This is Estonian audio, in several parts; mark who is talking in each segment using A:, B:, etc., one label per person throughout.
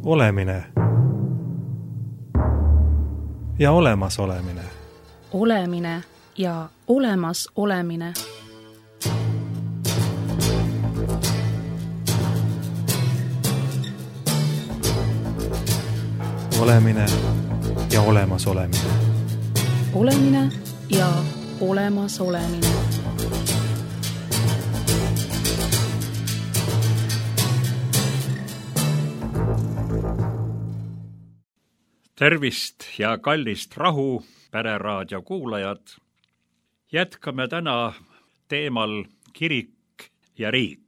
A: Olemine ja olemasolemine.
B: Olemine ja olemas olemine.
A: Olemine ja olemas olemine.
B: Olemine ja olemas olemine.
C: Tervist ja kallist rahu, Pereraadio kuulajad. Jätkame täna teemal kirik ja riik.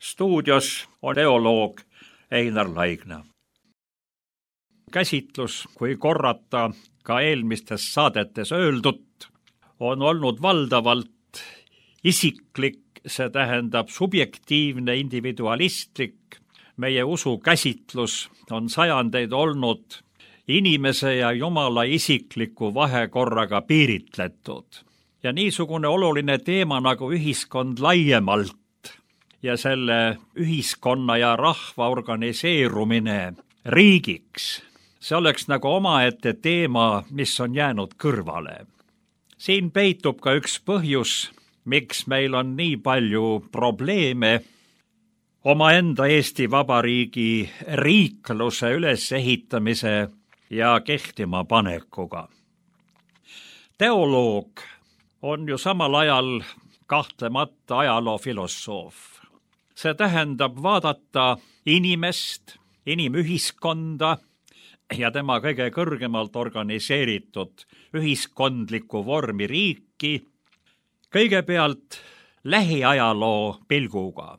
C: Stuudios on teoloog Einar Laigna. Käsitlus, kui korrata ka eelmistes saadetes öeldut, on olnud valdavalt isiklik, see tähendab subjektiivne, individualistlik. Meie usu käsitlus on sajandeid olnud inimese ja Jumala isikliku vahekorraga piiritletud. Ja niisugune oluline teema nagu ühiskond laiemalt ja selle ühiskonna ja rahva organiseerumine riigiks, see oleks nagu omaette teema, mis on jäänud kõrvale. Siin peitub ka üks põhjus, miks meil on nii palju probleeme omaenda Eesti Vabariigi riikluse ülesehitamise ja kehtima panekuga. Teoloog on ju samal ajal kahtlemata ajaloofilosoof. See tähendab vaadata inimest, inimühiskonda ja tema kõige kõrgemalt organiseeritud ühiskondlikku vormi riiki kõigepealt lähiajaloo pilguga.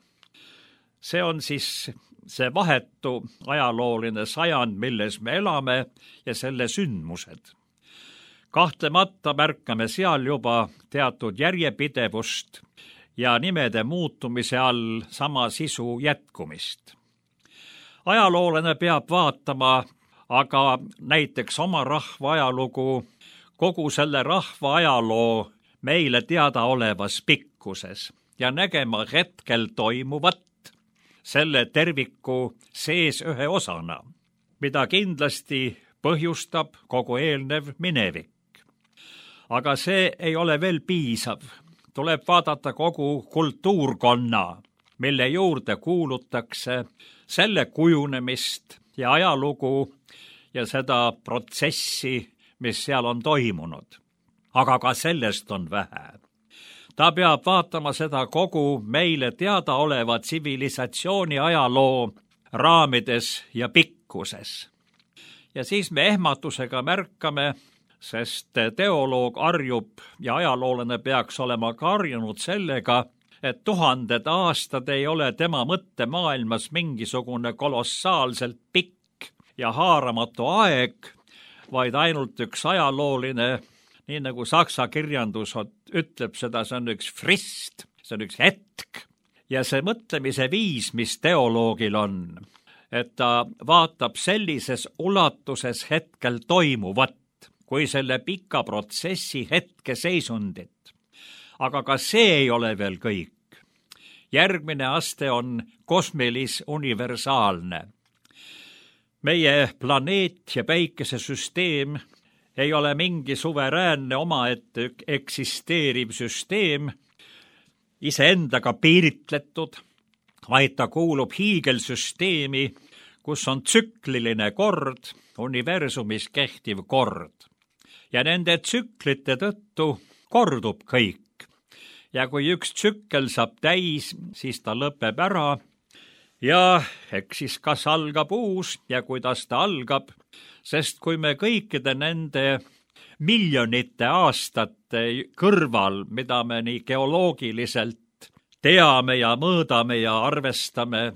C: See on siis see vahetu ajalooline sajand, milles me elame ja selle sündmused. Kahtlemata märkame seal juba teatud järjepidevust ja nimede muutumise all sama sisu jätkumist. Ajaloolane peab vaatama aga näiteks oma rahva ajalugu kogu selle rahva ajaloo meile teadaolevas pikkuses ja nägema hetkel toimuvat selle terviku sees ühe osana, mida kindlasti põhjustab kogu eelnev minevik. Aga see ei ole veel piisav. Tuleb vaadata kogu kultuurkonna, mille juurde kuulutakse selle kujunemist ja ajalugu ja seda protsessi, mis seal on toimunud. Aga ka sellest on vähe. Ta peab vaatama seda kogu meile teadaoleva tsivilisatsiooni ajaloo raamides ja pikkuses. Ja siis me ehmatusega märkame, sest teoloog harjub ja ajaloolane peaks olema ka harjunud sellega, et 1000 aastad ei ole tema mõttemaailmas mingisugune kolossaalselt pikk ja haaramatu aeg, vaid ainult üks ajalooline, nii nagu saksa kirjandus ütleb seda, see on üks frist, see on üks hetk. Ja see mõtlemise viis, mis teoloogil on, et ta vaatab sellises ulatuses hetkel toimuvat, kui selle pika protsessi hetkeseisundit. Aga ka see ei ole veel kõik. Järgmine aste on kosmilis-universaalne. Meie planeet ja päikesesüsteem ei ole mingi suveräänne omaette eksisteeriv süsteem, iseendaga piiritletud, vaid ta kuulub hiigelsüsteemi, kus on tsükliline kord, universumis kehtiv kord. Ja nende tsüklite tõttu kordub kõik. Ja kui üks tsükkel saab täis, siis ta lõpeb ära. Ja eks siis kas algab uus ja kuidas ta algab, sest kui me kõikide nende miljonite aastate kõrval, mida me nii geoloogiliselt teame ja mõõdame ja arvestame,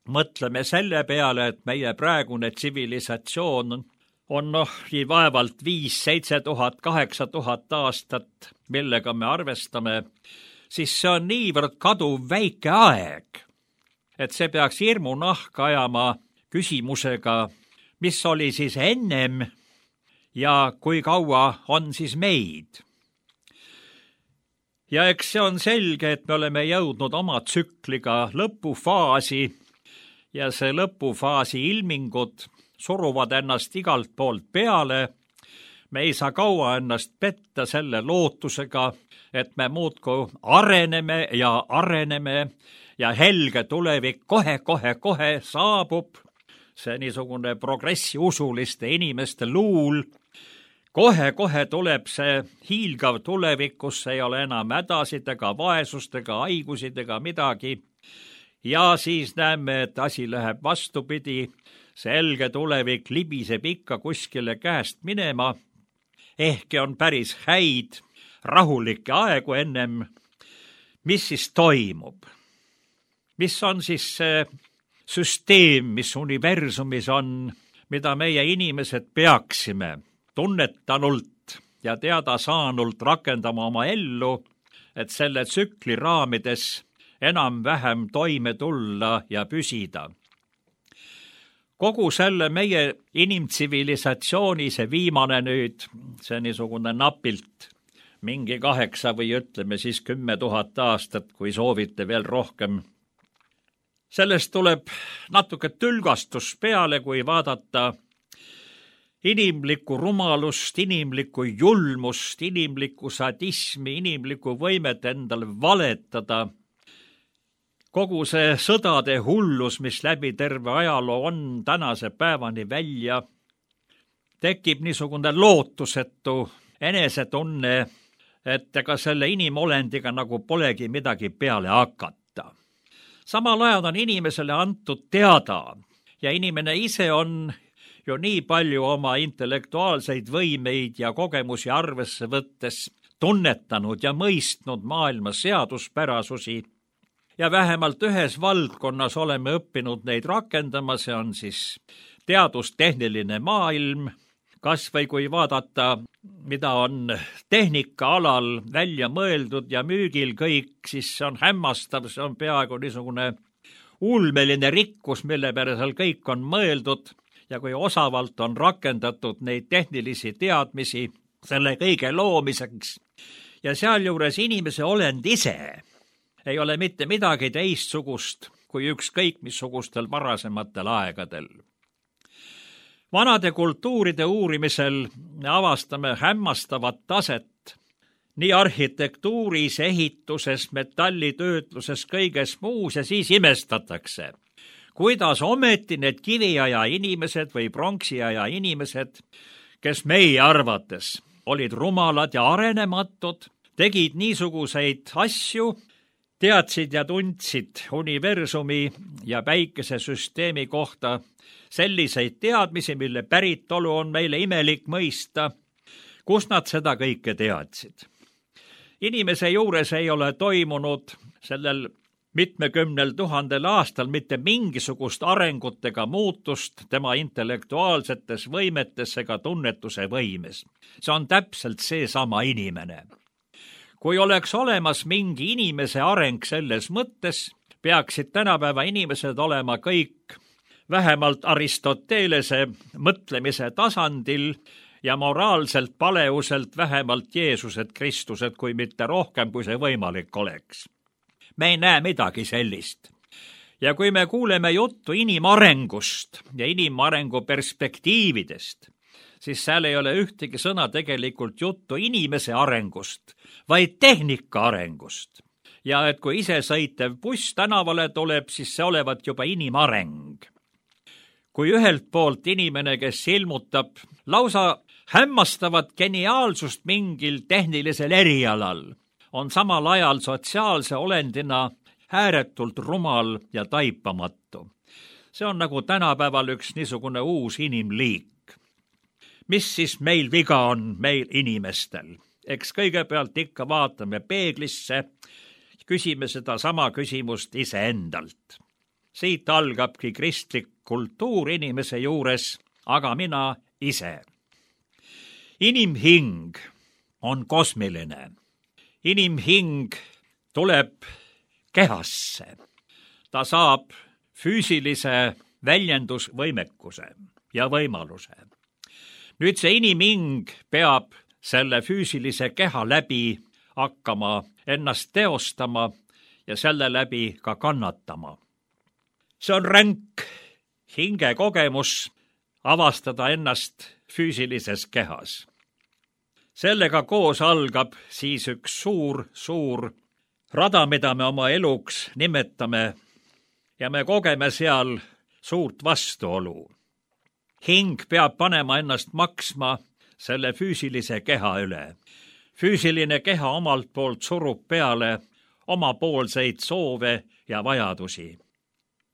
C: mõtleme selle peale, et meie praegune tsivilisatsioon on nii vaevalt 5, 7 tuhat, 8 tuhat aastat, millega me arvestame, siis see on niivõrd kaduv väike aeg, et see peaks hirmu nahka ajama küsimusega, mis oli siis ennem ja kui kaua on siis meid. Ja eks see on selge, et me oleme jõudnud oma tsükliga lõpufaasi ja see lõpufaasi ilmingud suruvad ennast igalt poolt peale. Me ei saa kaua ennast petta selle lootusega, et me muudkui areneme ja helge tulevik kohe saabub. See niisugune progressiusuliste inimeste luul. Kohe tuleb see hiilgav tulevik, kus ei ole enam hädasid ega vaesust ega haigusid ega midagi. Ja siis näeme, et asi läheb vastupidi. See helge tulevik libiseb ikka kuskile käest minema. Ehkki on päris häid, rahulikke aegu ennem. Mis siis toimub? Mis on siis see süsteem, mis universumis on, mida meie inimesed peaksime tunnetanult ja teada saanult rakendama oma ellu, et selle tsükli raamides enam-vähem toime tulla ja püsida. Kogu selle meie inimtsivilisatsiooni see viimane nüüd, see niisugune napilt mingi 8 või ütleme siis 10 000 aastat, kui soovite veel rohkem. Sellest tuleb natuke tülgastus peale, kui vaadata inimlikku rumalust, inimlikku julmust, inimlikku sadismi, inimlikku võimet endale valetada. Kogu see sõdade hullus, mis läbi terve ajaloo on tänase päevani välja, tekib niisugune lootusetu enesetunne, et ega selle inimolendiga nagu polegi midagi peale hakata. Samal ajal on inimesele antud teada ja inimene ise on ju nii palju oma intellektuaalseid võimeid ja kogemusi arvesse võttes tunnetanud ja mõistnud maailma seaduspärasusi. Ja vähemalt ühes valdkonnas oleme õppinud neid rakendama, see on siis teadustehniline maailm. Kas või kui vaadata, mida on tehnika alal välja mõeldud ja müügil kõik, siis see on hämmastav, see on peaaegu niisugune ulmeline rikkus, mille peale seal kõik on mõeldud ja kui osavalt on rakendatud neid tehnilisi teadmisi selle kõige loomiseks. Ja sealjuures inimese olend ise ei ole mitte midagi teistsugust kui ükskõik missugustel varasematel aegadel. Vanade kultuuride uurimisel avastame hämmastavat taset nii arhitektuuris, ehituses, metallitöötluses, kõiges muus ja siis imestatakse, kuidas ometi need kiviaja inimesed või pronksiaja inimesed, kes meie arvates olid rumalad ja arenematud, tegid niisuguseid asju, teadsid ja tundsid universumi ja päikesesüsteemi kohta selliseid teadmisi, mille päritolu on meile imelik mõista, kus nad seda kõike teadsid. Inimese juures ei ole toimunud sellel mitmekümnel 1000 aastal mitte mingisugust arengut ega muutust tema intellektuaalsetes võimetes ega tunnetuse võimes. See on täpselt seesama inimene. Kui oleks olemas mingi inimese areng selles mõttes, peaksid tänapäeva inimesed olema kõik vähemalt Aristotelese mõtlemise tasandil ja moraalselt paleuselt vähemalt Jeesused Kristused, kui mitte rohkem, kui see võimalik oleks. Me ei näe midagi sellist. Ja kui me kuuleme juttu inimarengust ja inimarengu perspektiividest, siis seal ei ole ühtegi sõna tegelikult juttu inimese arengust, vaid tehnika arengust. Ja et kui isesõitev buss tänavale tuleb, siis see olevat juba inimareng. Kui ühelt poolt inimene, kes ilmutab lausa hämmastavat geniaalsust mingil tehnilisel erialal, on samal ajal sotsiaalse olendina ääretult rumal ja taipamatu. See on nagu tänapäeval üks niisugune uus inimliik. Mis siis meil viga on meil inimestel? Eks kõigepealt ikka vaatame peeglisse, küsime seda sama küsimust iseendalt. Siit algabki kristlik kultuur inimese juures, aga mina ise. Inimhing on kosmiline. Inimhing tuleb kehasse. Ta saab füüsilise väljendusvõimekuse ja võimaluse. Nüüd see inimhing peab selle füüsilise keha läbi hakkama ennast teostama ja selle läbi ka kannatama. See on ränk hingekogemus avastada ennast füüsilises kehas. Sellega koos algab siis üks suur rada, mida me oma eluks nimetame ja me kogeme seal suurt vastuolu. Hing peab panema ennast maksma selle füüsilise keha üle. Füüsiline keha omalt poolt surub peale omapoolseid soove ja vajadusi.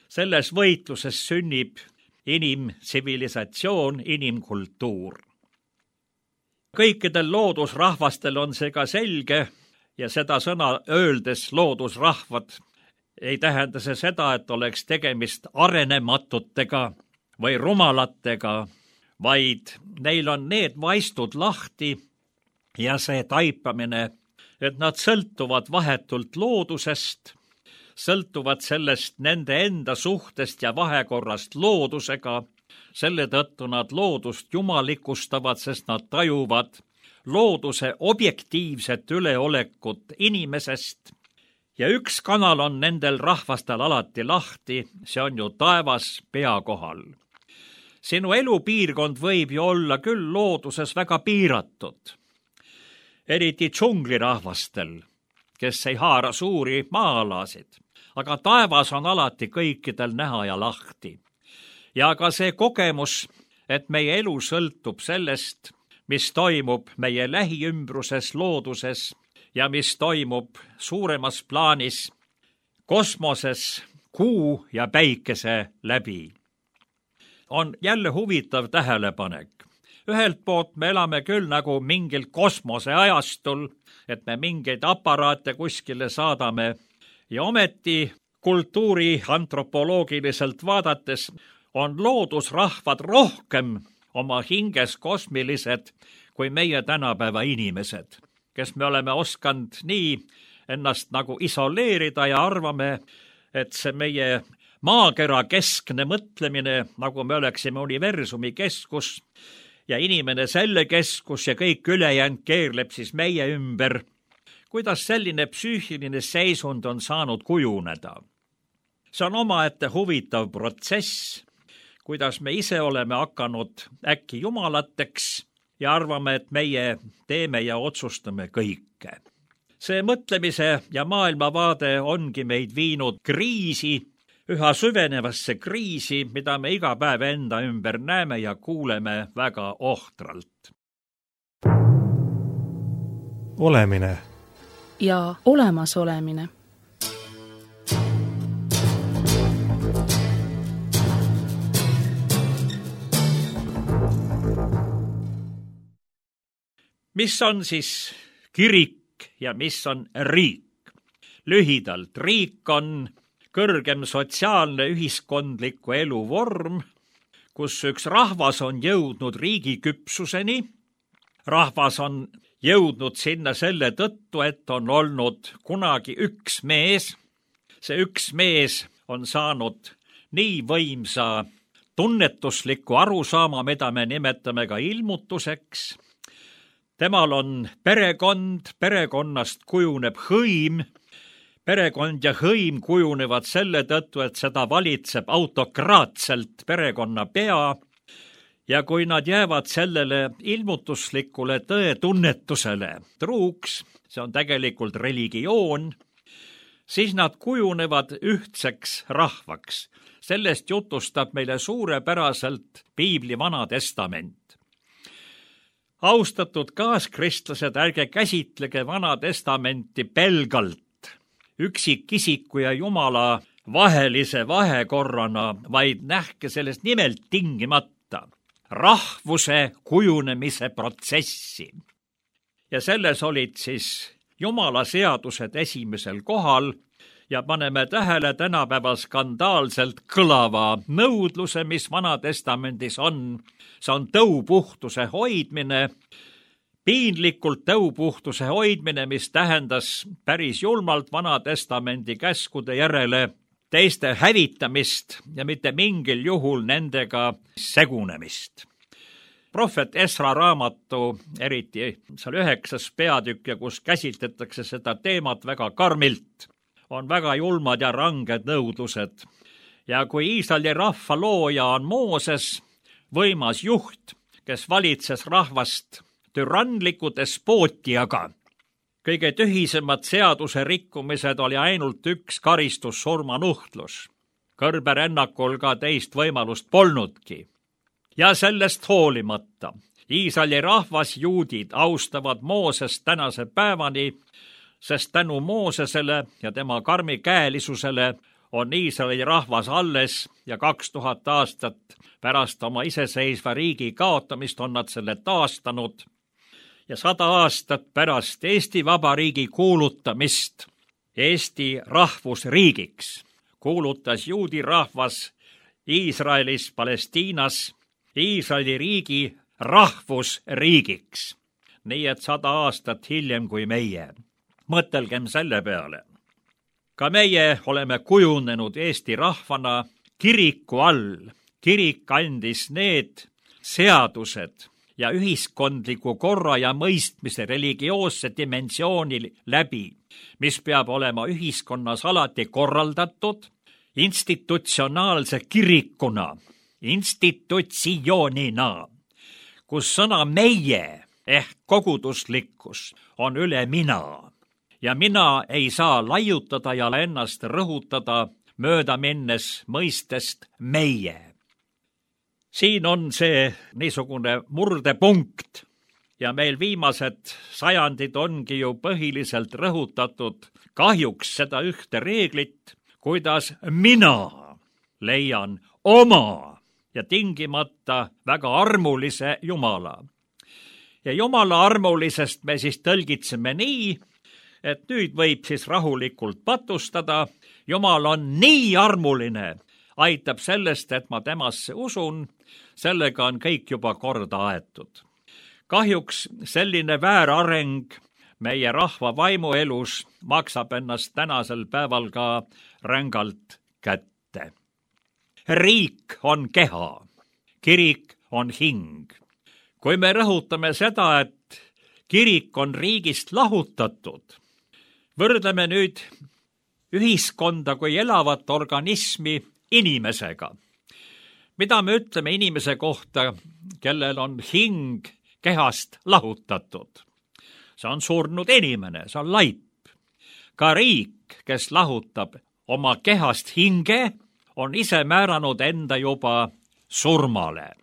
C: Selles võitluses sünnib inimtsivilisatsioon, inimkultuur. Kõikidel loodusrahvastel on see ka selge ja seda sõna öeldes loodusrahvad ei tähenda see seda, et oleks tegemist arenematutega või rumalatega, vaid neil on need vaistud lahti ja see taipamine, et nad sõltuvad vahetult loodusest, sõltuvad sellest nende enda suhtest ja vahekorrast loodusega, selle tõttu nad loodust jumalikustavad, sest nad tajuvad looduse objektiivset üleolekut inimesest ja üks kanal on nendel rahvastel alati lahti, see on ju taevas pea kohal. Sinu elupiirkond võib ju olla küll looduses väga piiratud, eriti džunglirahvastel, kes ei haara suuri maa-alasid, aga taevas on alati kõikidel näha ja lahti. Ja ka see kogemus, et meie elu sõltub sellest, mis toimub meie lähiümbruses looduses ja mis toimub suuremas plaanis kosmoses kuu ja päikese läbi, on jälle huvitav tähelepanek. Ühelt poolt me elame küll nagu mingil kosmoseajastul, et me mingeid aparaate kuskile saadame ja ometi kultuuri antropoloogiliselt vaadates on loodusrahvad rohkem oma hinges kosmilised kui meie tänapäeva inimesed, kes me oleme osanud nii ennast nagu isoleerida ja arvame, et see meie maakera keskne mõtlemine, nagu me oleksime universumi keskus ja inimene selle keskus ja kõik ülejäänud keerleb siis meie ümber. Kuidas selline psüühiline seisund on saanud kujuneda? See on omaette huvitav protsess, kuidas me ise oleme hakanud äkki jumalateks ja arvame, et meie teeme ja otsustame kõike. See mõtlemise ja maailmavaade ongi meid viinud kriisi, üha süvenevasse kriisi, mida me iga päev enda ümber näeme ja kuuleme väga ohtralt.
A: Olemine
B: ja olemasolemine.
C: Mis on siis kirik ja mis on riik? Lühidalt, riik on kõrgem sotsiaalne ühiskondliku elu vorm, kus üks rahvas on jõudnud riigiküpsuseni. Rahvas on jõudnud sinna selle tõttu, et on olnud kunagi üks mees. See üks mees on saanud nii võimsa tunnetusliku arusaama, mida me nimetame ka ilmutuseks. Temal on perekond, perekonnast kujuneb hõim. Perekond ja hõim kujunevad selle tõttu, et seda valitseb autokraatselt perekonna pea ja kui nad jäävad sellele ilmutuslikule tõetunnetusele truuks, see on tegelikult religioon, siis nad kujunevad ühtseks rahvaks. Sellest jutustab meile suurepäraselt Piibli Vana Testament. Austatud kaaskristlased, ärge käsitlege Vana Testamenti pelgalt üksikisiku ja Jumala vahelise vahekorrana, vaid nähke sellest nimelt tingimata rahvuse kujunemise protsessi. Ja selles olid siis Jumala seadused esimesel kohal ja paneme tähele tänapäeval skandaalselt kõlava nõudluse, mis Vana Testamendis on. See on tõupuhtuse hoidmine, piinlikult tõupuhtuse hoidmine, mis tähendas päris julmalt Vana Testamendi käskude järele teiste hävitamist ja mitte mingil juhul nendega segunemist. Prohvet Esra raamatu, eriti seal 9. peatükk ja kus käsitletakse seda teemat väga karmilt, on väga julmad ja ranged nõudlused. Ja kui Iisraeli rahva looja on Mooses, võimas juht, kes valitses rahvast türanliku despootiaga, kõige tühisemad seaduse rikkumised oli ainult üks karistus, surmanuhtlus. Kõrberännakul ka teist võimalust polnudki. Ja sellest hoolimata Iisraeli rahvas, juudid, austavad Moosest tänase päevani, sest tänu Moosesele ja tema karmikäelisusele on Iisraeli rahvas alles ja 2000 aastat pärast oma iseseisva riigi kaotamist on nad selle taastanud ja 100 aastat pärast Eesti Vabariigi kuulutamist Eesti rahvusriigiks kuulutas juudi rahvas Iisraelis, Palestiinas Iisraeli riigi rahvusriigiks. Nii et 100 aastat hiljem kui meie. Mõtelgem selle peale. Ka meie oleme kujunenud Eesti rahvana kiriku all. Kirik andis need seadused ja ühiskondliku korra ja mõistmise religioosse dimensiooni läbi, mis peab olema ühiskonnas alati korraldatud institutsionaalse kirikuna, institutsioonina, kus sõna meie ehk koguduslikkus on üle mina. Ja mina ei saa laiutada ja ennast rõhutada mööda minnes mõistest meie. Siin on see niisugune murdepunkt ja meil viimased sajandid ongi ju põhiliselt rõhutatud kahjuks seda ühte reeglit, kuidas mina leian oma ja tingimata väga armulise Jumala. Ja Jumala armulisest me siis tõlgitseme nii, et nüüd võib siis rahulikult patustada. Jumal on nii armuline, aitab sellest, et ma temasse usun, sellega on kõik juba korda aetud. Kahjuks selline väärareng meie rahva vaimuelus maksab ennast tänasel päeval ka rängalt kätte. Riik on keha, kirik on hing. Kui me rõhutame seda, et kirik on riigist lahutatud, võrdleme nüüd ühiskonda kui elavat organismi inimesega. Mida me ütleme inimese kohta, kellel on hing kehast lahutatud? See on surnud inimene, see on laip. Ka riik, kes lahutab oma kehast hinge, on ise määranud enda juba surmale.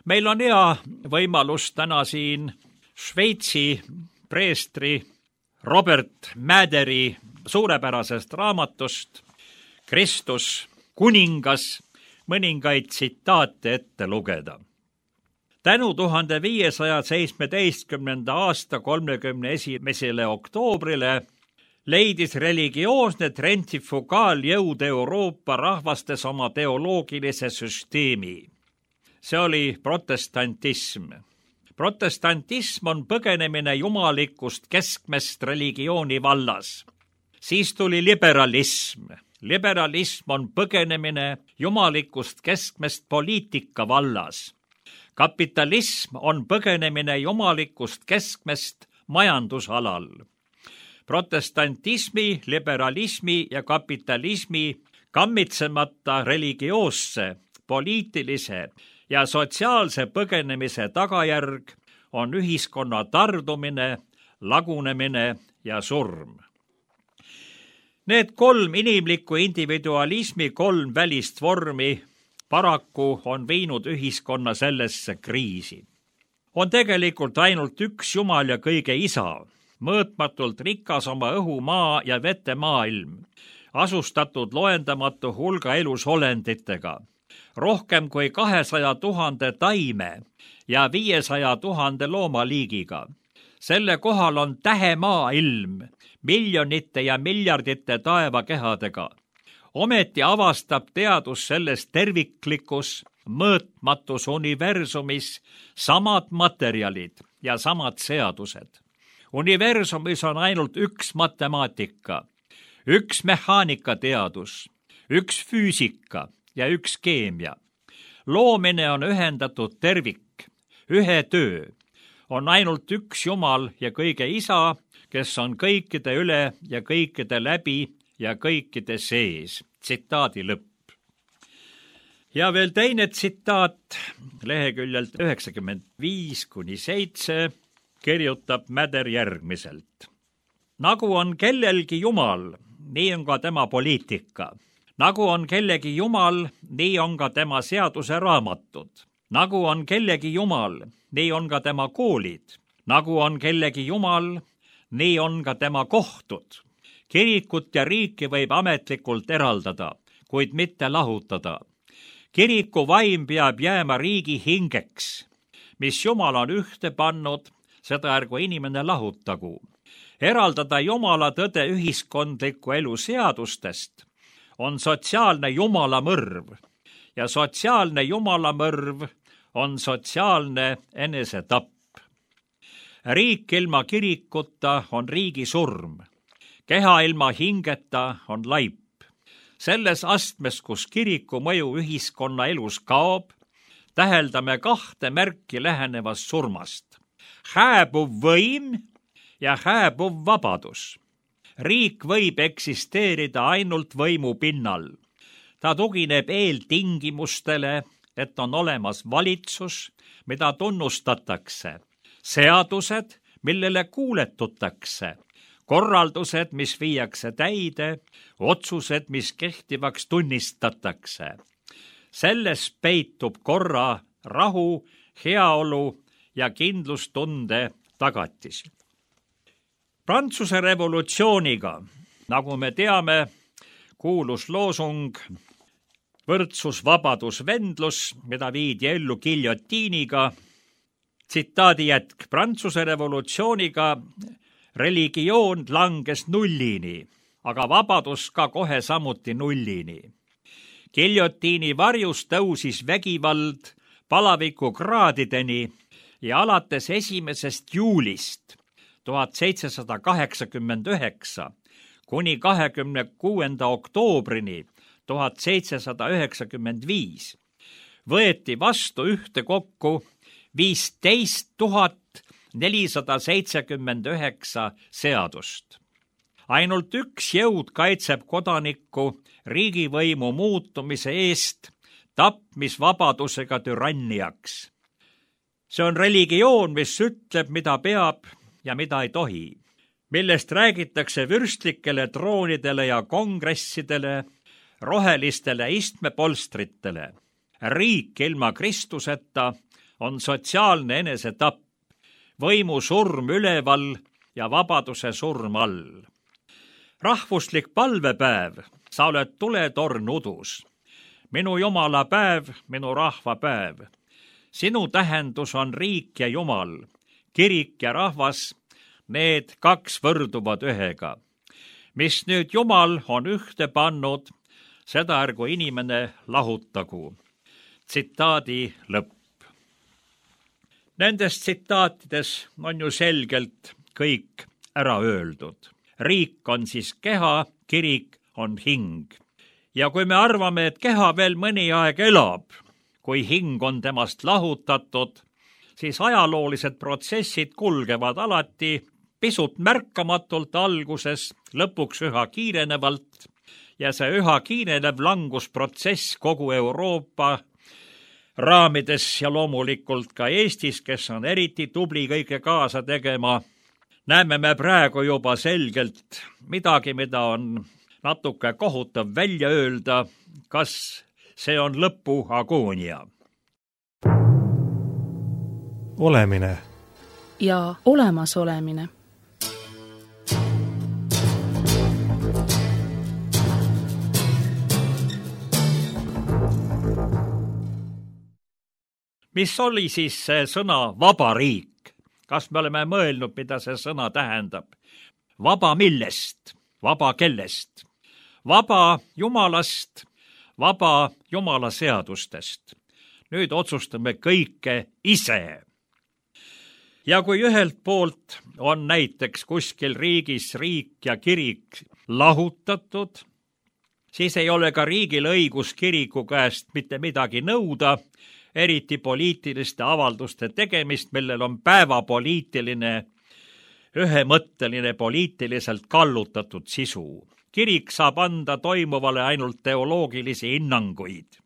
C: Meil on hea võimalus täna siin Šveitsi preestri Robert Mäderi suurepärasest raamatust Kristus kuningas mõningaid tsitaate ette lugeda. Tänu 1517. aasta 31. oktoobrile leidis religioosne trentifugaaljõud Euroopa rahvastes oma teoloogilise süsteemi. See oli protestantism. Protestantism on põgenemine jumalikust keskmest religiooni vallas. Siis tuli liberalism. Liberalism on põgenemine jumalikust keskmest poliitika vallas. Kapitalism on põgenemine jumalikust keskmest majandusalal. Protestantismi, liberalismi ja kapitalismi kammitsemata religioosse, poliitilise ja sotsiaalse põgenemise tagajärg on ühiskonna tardumine, lagunemine ja surm. Need 3 inimliku individualismi 3 välist vormi paraku on viinud ühiskonna sellesse kriisi. On tegelikult ainult üks Jumal ja kõige isa, mõõtmatult rikas oma õhu, maa ja vete maailm, asustatud loendamatu hulga elusolenditega, rohkem kui 200 000 taime ja 500 000 loomaliigiga. Selle kohal on tähemaailm, miljonite ja miljardite taevakehadega. Ometi avastab teadus selles terviklikus, mõõtmatus universumis samad materjalid ja samad seadused. Universumis on ainult üks matemaatika, üks mehaanikateadus, üks füüsika ja üks keemia. Loomine on ühendatud tervik, ühe töö. On ainult üks Jumal ja kõige isa, kes on kõikide üle ja kõikide läbi ja kõikide sees. Tsitaadi lõpp. Ja veel teine tsitaat leheküljelt 95-7 kirjutab Mäder järgmiselt. Nagu on kellelgi jumal, nii on ka tema poliitika. Nagu on kellegi jumal, nii on ka tema seaduse raamatud. Nagu on kellegi jumal, nii on ka tema koolid. Nagu on kellegi jumal, nii on ka tema kohtud. Kirikut ja riiki võib ametlikult eraldada, kuid mitte lahutada. Kiriku vaim peab jääma riigi hingeks. Mis Jumal on ühte pannud, seda ärgu inimene lahutagu. Eraldada Jumala tõde ühiskondliku elu seadustest on sotsiaalne jumalamõrv ja sotsiaalne jumalamõrv on sotsiaalne enesetapp. Riik ilma kirikuta on riigi surm. Keha ilma hingeta on laip. Selles astmes, kus kiriku mõju ühiskonna elus kaob, täheldame kahte märki lähenevast surmast. Hääbuv võim ja hääbuv vabadus. Riik võib eksisteerida ainult võimu pinnal. Ta tugineb eeltingimustele, et on olemas valitsus, mida tunnustatakse, seadused, millele kuuletutakse, korraldused, mis viiakse täide, otsused, mis kehtivaks tunnistatakse. Selles peitub korra, rahu, heaolu ja kindlustunde tagatis. Prantsuse revolutsiooniga, nagu me teame, kuulus loosung võrdsus, vabadus, vendlus, mida viidi ellu giljotiiniga. Tsitaadi jätk. Prantsuse revolutsiooniga religioon langes nullini, aga vabadus ka kohe samuti nullini. Giljotiini varjus tõusis vägivald palaviku kraadideni ja alates 1. juulist 1789 kuni 26. oktoobrini 1795 võeti vastu ühtekokku 15 479 seadust. Ainult üks jõud kaitseb kodanikku riigivõimu muutumise eest tapmisvabadusega türanniaks. See on religioon, mis ütleb, mida peab ja mida ei tohi, millest räägitakse vürstlikele troonidele ja kongressidele, rohelistele istmepolstritele. Riik ilma Kristuseta on sotsiaalne enesetapp, võimu surm üleval ja vabaduse surm all. Rahvuslik palvepäev, sa oled tuletorn udus. Minu Jumala päev, minu rahva päev. Sinu tähendus on riik ja Jumal, kirik ja rahvas, need kaks võrduvad ühega. Mis nüüd Jumal on ühte pannud, seda ärgu inimene lahutagu. Tsitaadi lõpp. Nendes tsitaatides on ju selgelt kõik ära öeldud. Riik on siis keha, kirik on hing. Ja kui me arvame, et keha veel mõni aeg elab, kui hing on temast lahutatud, siis ajaloolised protsessid kulgevad alati pisut märkamatult alguses, lõpuks üha kiirenevalt ja see üha kiirenev langusprotsess kogu Euroopa raamides ja loomulikult ka Eestis, kes on eriti tubli kõike kaasa tegema, näeme me praegu juba selgelt midagi, mida on natuke kohutav välja öelda, kas see on lõpu agoonia.
A: Olemine
B: ja olemasolemine.
C: Mis oli siis see sõna vaba riik? Kas me oleme mõelnud, mida see sõna tähendab? Vaba millest? Vaba kellest? Vaba Jumalast, vaba Jumala seadustest. Nüüd otsustame kõike ise. Ja kui ühelt poolt on näiteks kuskil riigis riik ja kirik lahutatud, siis ei ole ka riigil õigus kiriku käest mitte midagi nõuda, eriti poliitiliste avalduste tegemist, millel on päevapoliitiline, ühemõtteline poliitiliselt kallutatud sisu. Kirik saab anda toimuvale ainult teoloogilisi hinnanguid.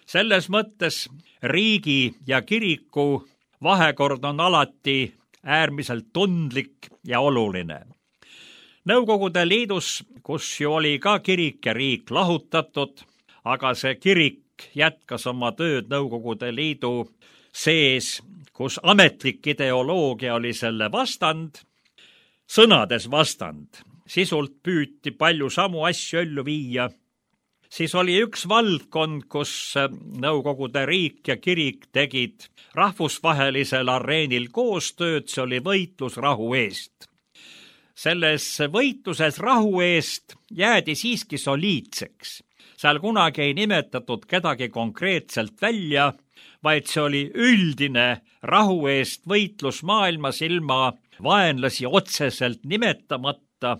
C: selles mõttes riigi ja kiriku vahekord on alati äärmiselt tundlik ja oluline. Nõukogude Liidus, kus ju oli ka kirik ja riik lahutatud, aga see kirik jätkas oma tööd Nõukogude Liidu sees, kus ametlik ideoloogia oli selle vastand, sõnades vastand, sisult püüti palju samu asju ellu viia, siis oli üks valdkond, kus Nõukogude riik ja kirik tegid rahvusvahelisel areenil koostööd, see oli võitlus rahu eest. Selles võitluses rahu eest jäädi siiski soliidseks. Seal kunagi ei nimetatud kedagi konkreetselt välja, vaid see oli üldine rahu eest võitlus maailmas ilma vaenlasi otseselt nimetamata,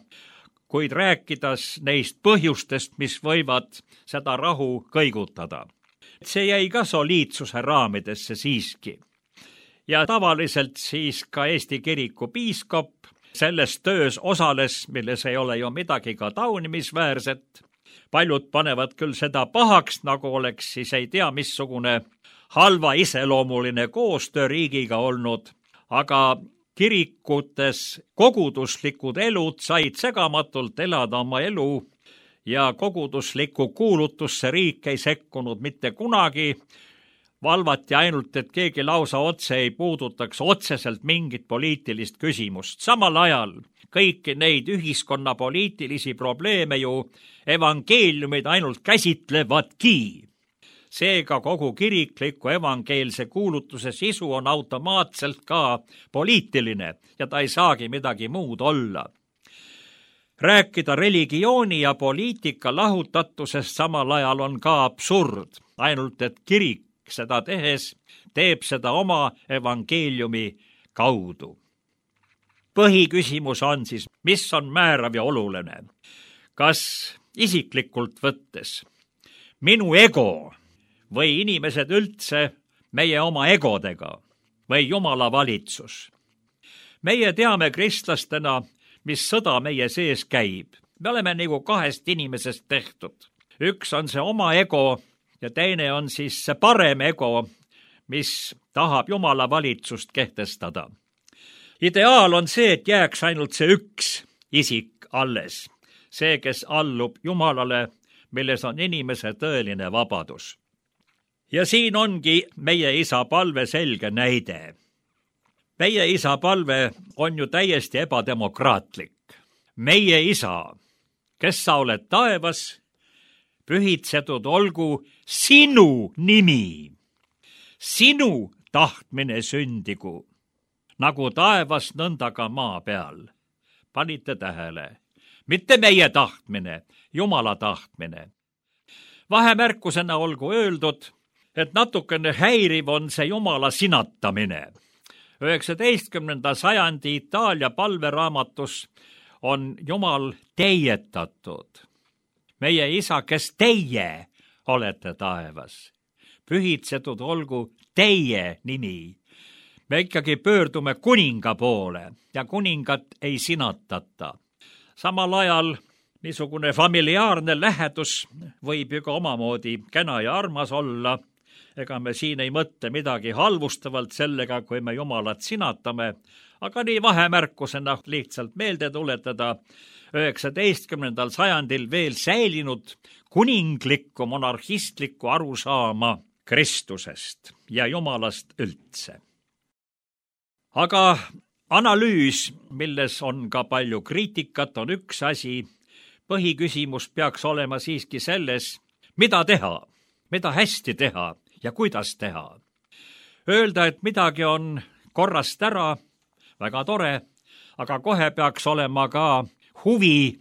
C: kuid rääkides neist põhjustest, mis võivad seda rahu kõigutada. See jäi ka soliidsuse raamidesse siiski. Ja tavaliselt siis ka Eesti kiriku piiskop selles töös osales, milles ei ole ju midagi ka taunimisväärset. Paljud panevad küll seda pahaks, nagu oleks siis ei tea missugune halva iseloomuline koostöö riigiga olnud, aga kirikutes koguduslikud elud said segamatult elada oma elu ja koguduslikku kuulutusse riik ei sekkunud mitte kunagi. Valvati ainult, et keegi lausa otse ei puudutaks otseselt mingit poliitilist küsimust. Samal ajal kõiki neid ühiskonna poliitilisi probleeme ju evangeeliumid ainult käsitlevadki. Seega kogu kirikliku evangeelse kuulutuse sisu on automaatselt ka poliitiline ja ta ei saagi midagi muud olla. Rääkida religiooni ja poliitika lahutatusest samal ajal on ka absurd, ainult et kirik seda tehes teeb seda oma evangeeliumi kaudu. Põhiküsimus on siis, mis on määrav ja oluline? Kas isiklikult võttes minu ego või inimesed üldse meie oma egodega või Jumala valitsus? Meie teame kristlastena, mis sõda meie sees käib. Me oleme nagu kahest inimesest tehtud. Üks on see oma ego ja teine on siis see parem ego, mis tahab Jumala valitsust kehtestada. Ideaal on see, et jääks ainult see üks isik alles, see, kes allub Jumalale, milles on inimese tõeline vabadus. Ja siin ongi meie isa palve selge näide. Meie isa palve on ju täiesti ebademokraatlik. Meie isa, kes sa oled taevas, pühitsetud olgu sinu nimi. Sinu tahtmine sündigu, nagu taevas nõnda ka maa peal. Panite tähele, mitte meie tahtmine, Jumala tahtmine. Vahemärkusena olgu öeldud, et natukene häiriv on see Jumala sinatamine. 19. sajandi Itaalia palveraamatus on Jumal teietatud. Meie isa, kes teie olete taevas. Pühitsetud olgu teie nimi. Me ikkagi pöördume kuninga poole ja kuningat ei sinatata. Samal ajal niisugune familiaarne lähedus võib ju ka omamoodi kena ja armas olla. Ega me siin ei mõtle midagi halvustavalt sellega, kui me Jumalat sinatame, aga nii vahemärkusena lihtsalt meelde tuletada 19. sajandil veel säilinud kuninglikku monarhistlikku arusaama Kristusest ja Jumalast üldse. Aga analüüs, milles on ka palju kriitikat, on üks asi. Põhiküsimus peaks olema siiski selles, mida teha, mida hästi teha ja kuidas teha. Öelda, et midagi on korrast ära, väga tore, aga kohe peaks olema ka huvi,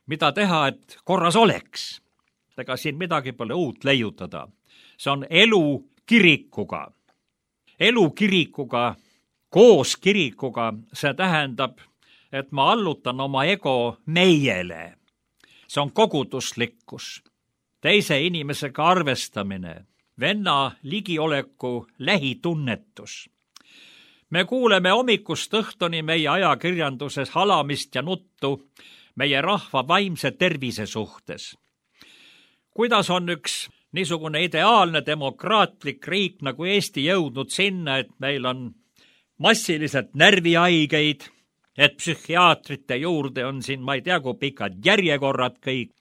C: mida teha, et korras oleks. Ega siin midagi pole uut leiutada. See on elu kirikuga. Elu kirikuga, koos kirikuga, see tähendab, et ma allutan oma ego meiele. See on koguduslikkus, teise inimesega arvestamine, venna ligioleku lähitunnetus. Me kuuleme hommikust õhtuni meie ajakirjanduses halamist ja nuttu meie rahva vaimse tervise suhtes. Kuidas on üks niisugune ideaalne demokraatlik riik nagu Eesti jõudnud sinna, et meil on massiliselt närvihaigeid, et psühhiaatrite juurde on siin, ma ei tea, kui pikad järjekorrad kõik,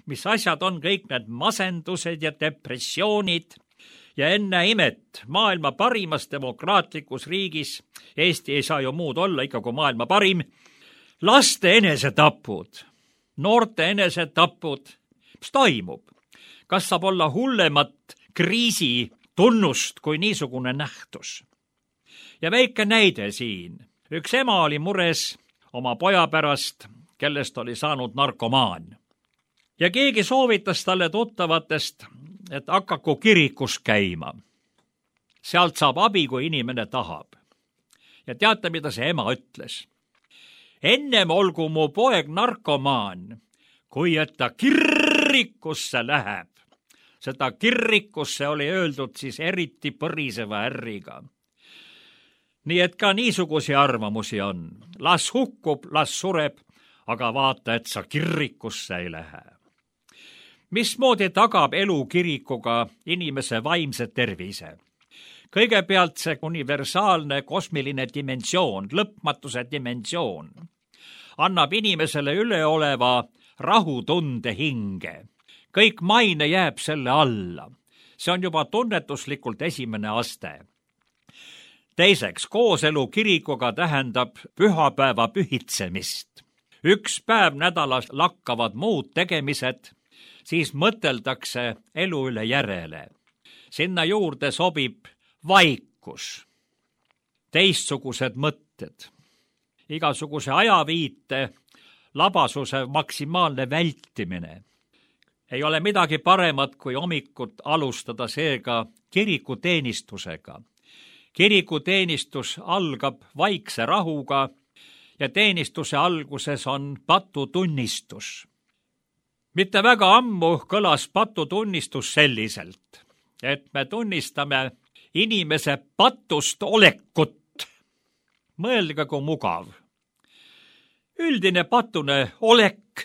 C: mis asjad on kõik need masendused ja depressioonid ja enne imet maailma parimas demokraatlikus riigis, Eesti ei saa ju muud olla ikka kui maailma parim, laste enesetapud, noorte enesetapud, mis toimub? Kas saab olla hullemat kriisi tunnust kui niisugune nähtus? Ja väike näide siin. Üks ema oli mures oma poja pärast, kellest oli saanud narkomaan. Ja keegi soovitas talle tuttavatest, et hakaku kirikus käima. Sealt saab abi, kui inimene tahab. Ja teate, mida see ema ütles? Ennem olgu mu poeg narkomaan, kui et ta kirikusse läheb. Seda kirikusse oli öeldud siis eriti põriseva ärriga. Nii et ka niisugusi arvamusi on. Las hukkub, las sureb, aga vaata, et sa kirikusse ei lähe. Mismoodi tagab elu kirikuga inimese vaimse tervise? Kõigepealt see universaalne kosmiline dimensioon, lõpmatuse dimensioon, annab inimesele üleoleva rahutunde hinge. Kõik maine jääb selle alla. See on juba tunnetuslikult esimene aste. Teiseks, kooselu kirikuga tähendab pühapäeva pühitsemist. Üks päev nädalas lakkavad muud tegemised, siis mõteldakse elu üle järele. Sinna juurde sobib vaikus, teistsugused mõtted, igasuguse ajaviite, labasuse maksimaalne vältimine. Ei ole midagi paremat, kui hommikut alustada seega kirikuteenistusega. Kirikuteenistus algab vaikse rahuga ja teenistuse alguses on patutunnistus. Mitte väga ammu kõlas patutunnistus selliselt, et me tunnistame inimese patust olekut. Mõelge, kui mugav. Üldine patune olek,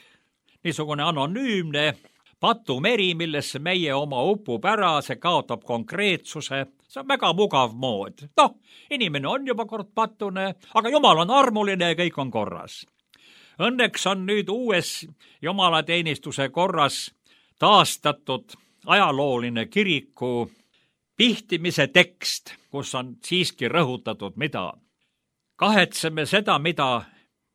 C: niisugune anonüümne patumeri, millesse meie oma upub ära, see kaotab konkreetsuse, see on väga mugav mood. Inimene on juba kord patune, aga Jumal on armuline ja kõik on korras. Õnneks on nüüd uues jumalateenistuse korras taastatud ajalooline kiriku pihtimise tekst, kus on siiski rõhutatud, mida. Kahetseme seda, mida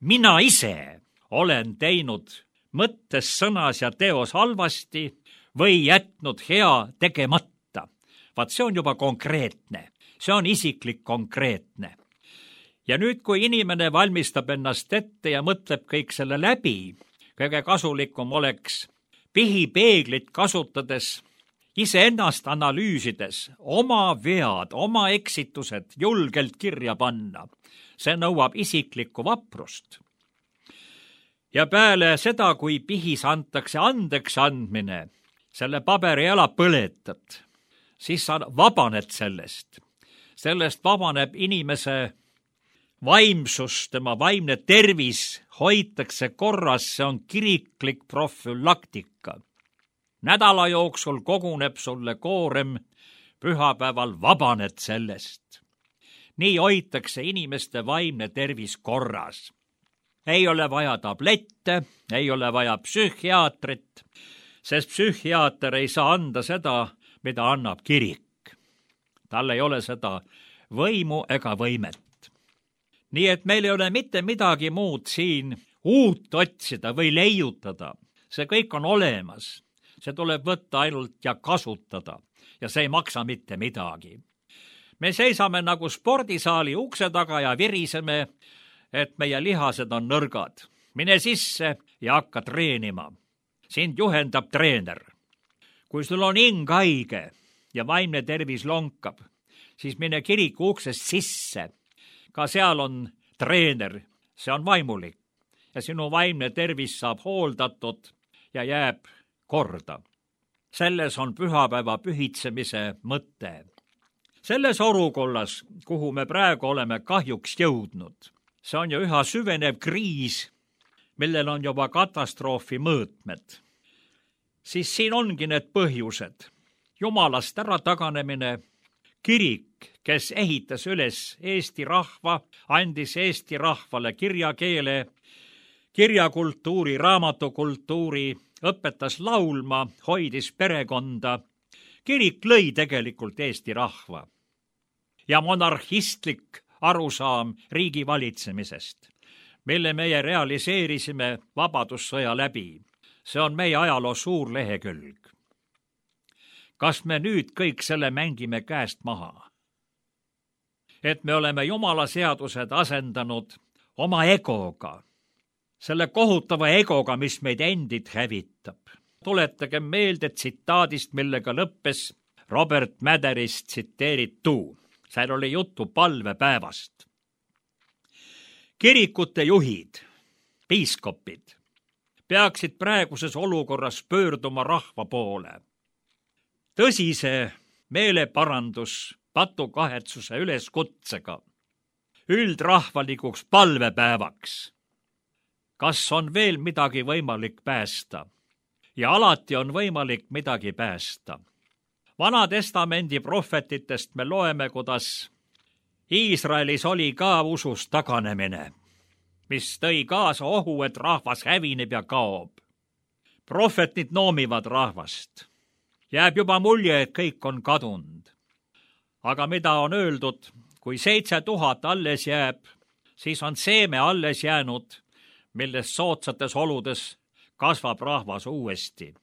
C: mina ise olen teinud mõttes, sõnas ja teos halvasti või jätnud hea tegemata. Vaat see on juba konkreetne, see on isiklik konkreetne. Ja nüüd, kui inimene valmistab ennast ette ja mõtleb kõik selle läbi, kõige kasulikum oleks pihipeeglit kasutades, iseennast analüüsides, oma vead, oma eksitused julgelt kirja panna. See nõuab isiklikku vaprust. Ja peale seda, kui pihis antakse andeks andmine, selle paberi ära põletad, siis sa vabaned sellest. Sellest vabaneb inimese vaimsus, tema vaimne tervis hoitakse korras, see on kiriklik profülaktika. Nädala jooksul koguneb sulle koorem, pühapäeval vabaned sellest. Nii hoitakse inimeste vaimne tervis korras. Ei ole vaja tablette, ei ole vaja psühhiaatrit, sest psühhiaater ei saa anda seda, mida annab kirik. Tal ei ole seda võimu ega võimet. Nii et meil ei ole mitte midagi muud siin uut otsida või leiutada. See kõik on olemas. See tuleb võtta ainult ja kasutada ja see ei maksa mitte midagi. Me seisame nagu spordisaali ukse taga ja viriseme, et meie lihased on nõrgad. Mine sisse ja hakka treenima. Sind juhendab treener. Kui sul on hing haige ja vaimne tervis lonkab, siis mine kiriku uksest sisse. Ka seal on treener, see on vaimulik ja sinu vaimne tervis saab hooldatud ja jääb korda. Selles on pühapäeva pühitsemise mõte. Selles olukorras, kuhu me praegu oleme kahjuks jõudnud, see on ju üha süvenev kriis, millel on juba katastroofi mõõtmed. Siis siin ongi need põhjused. Jumalast ära taganemine. Kirik, kes ehitas üles Eesti rahva, andis Eesti rahvale kirjakeele, kirjakultuuri, raamatukultuuri, õpetas laulma, hoidis perekonda. Kirik lõi tegelikult Eesti rahva. Ja monarhistlik arusaam riigi valitsemisest, mille meie realiseerisime vabadussõja läbi. See on meie ajaloo suur lehekülg. Kas me nüüd kõik selle mängime käest maha? Et me oleme Jumala seadused asendanud oma egoga, selle kohutava egoga, mis meid endid hävitab. Tuletage meelde tsitaadist, millega lõppes Robert Matherist tsiteeritu. Seal oli juttu palvepäevast. Kirikute juhid, piiskopid, peaksid praeguses olukorras pöörduma rahva poole. Tõsise meeleparandus patukahetsuse üleskutsega, üldrahvalikuks palvepäevaks. Kas on veel midagi võimalik päästa? Ja alati on võimalik midagi päästa. Vana testamendi prohvetitest me loeme, kuidas Iisraelis oli ka usust taganemine, mis tõi kaasa ohu, et rahvas hävineb ja kaob. Prohvetid noomivad rahvast. Jääb juba mulje, et kõik on kadunud. Aga mida on öeldud, kui 7000 alles jääb, siis on seeme alles jäänud, millest soodsates oludes kasvab rahvas uuesti.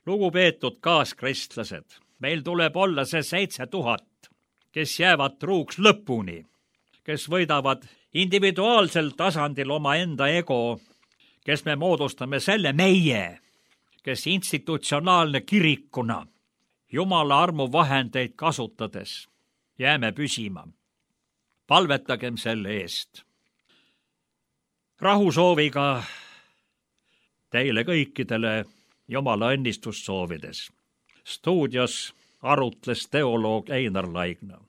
C: Lugupeetud kaaskristlased, meil tuleb olla see 7000, kes jäävad truuks lõpuni, kes võidavad individuaalsel tasandil oma enda ego, kes me moodustame selle meie, kes institutsionaalne kirikuna Jumala armu vahendeid kasutades jääme püsima. Palvetagem selle eest. Rahusooviga teile kõikidele Jumala õnnistust soovides. Stuudios arutles teoloog Einar Laigna.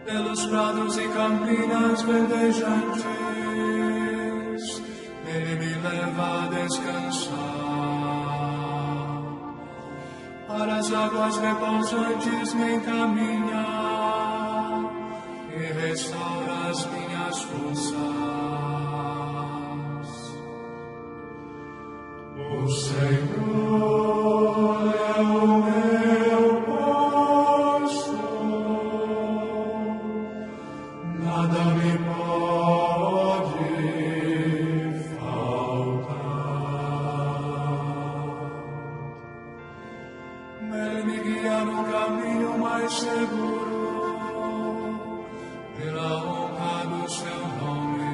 D: Pelos prados e campinas verdejantes, Ele me leva a descansar. Para as águas repousantes me encaminha e restaura as minhas forças. O Senhor é o meu nada me pode faltar. Ele me guia no caminho mais seguro, pela honra do seu nome.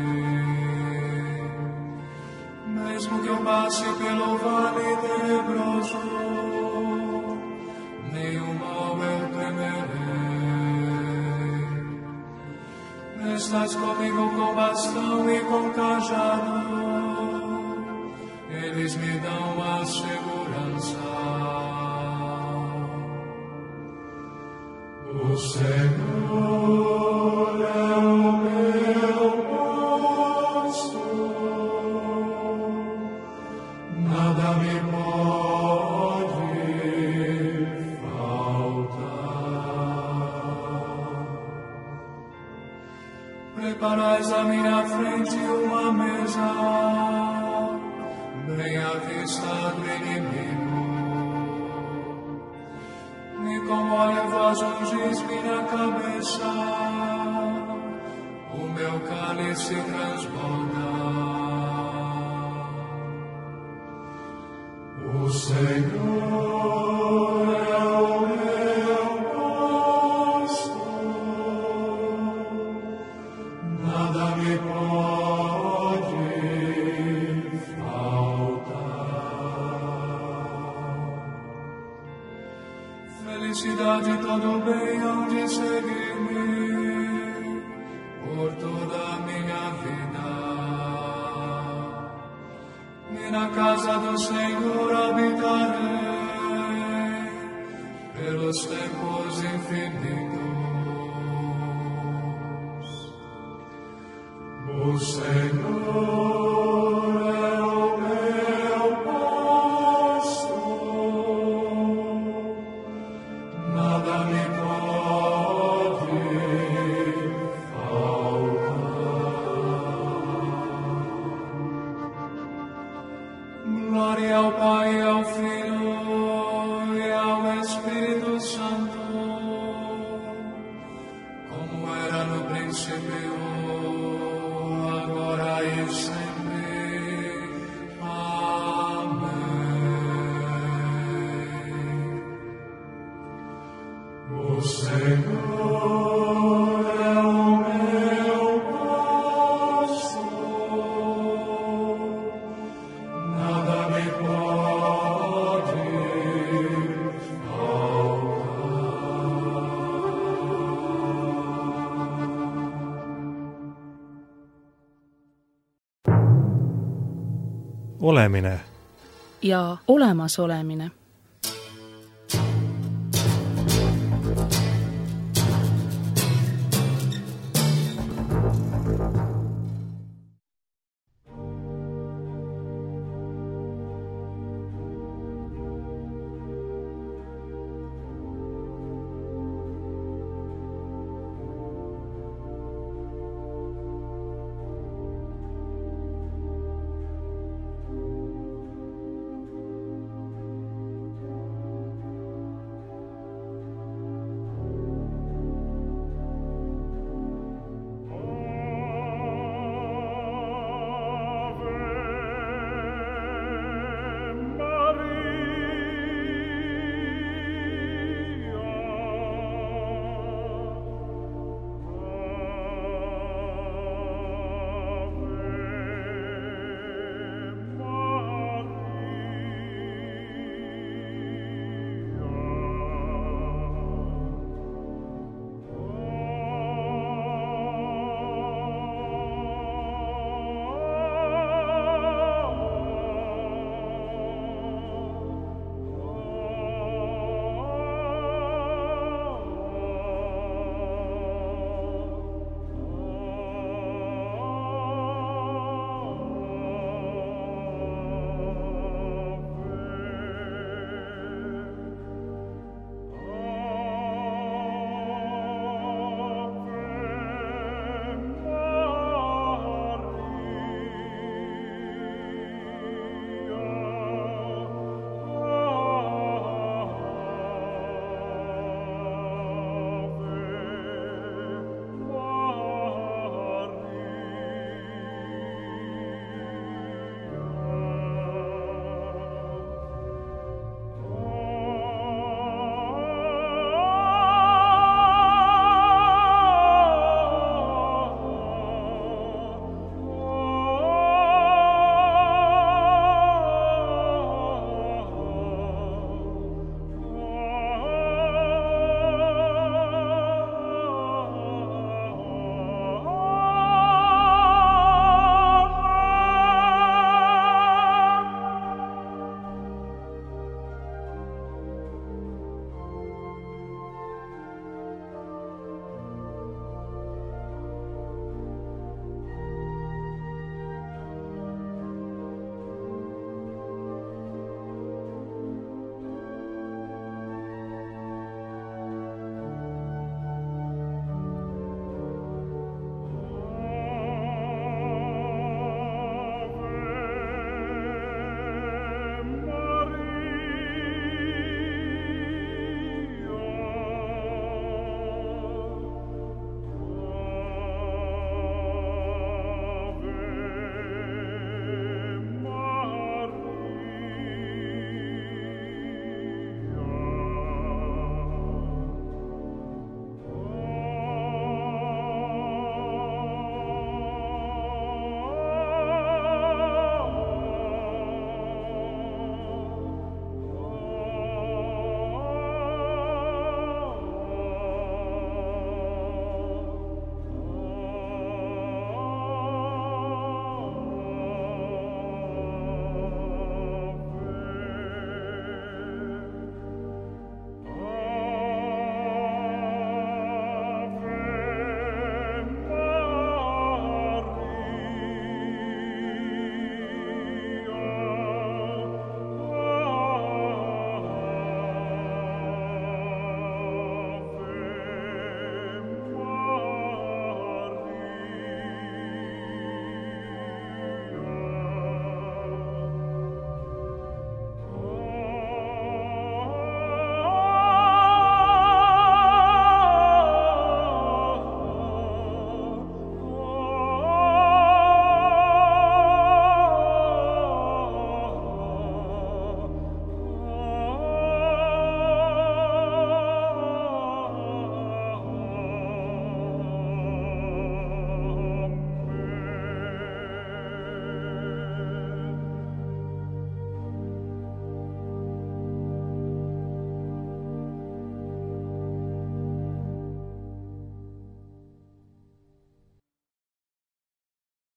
D: Mesmo que eu passe pelo vale tenebroso, nenhum mal eu temerei. Estás comigo com bastão e com cajado, eles me dão a segurança. O Senhor é o meu pastor, nada me pode faltar. Preparais à minha frente uma mesa, bem à vista do inimigo. E com óleo vós ungis minha cabeça, o meu cálice transborda. O Felicidade todo bem hão de seguir-me por toda a minha vida. E na casa do Senhor habitarei pelos tempos infinitos. O Senhor é o meu pastor, nada me pode faltar. Glória ao Pai, ao Filho e ao Espírito Santo, como era no princípio, agora e sempre. Amém. O Senhor é o meu pastor, nada me pode faltar.
A: Olemine.
B: Ja olemasolemine.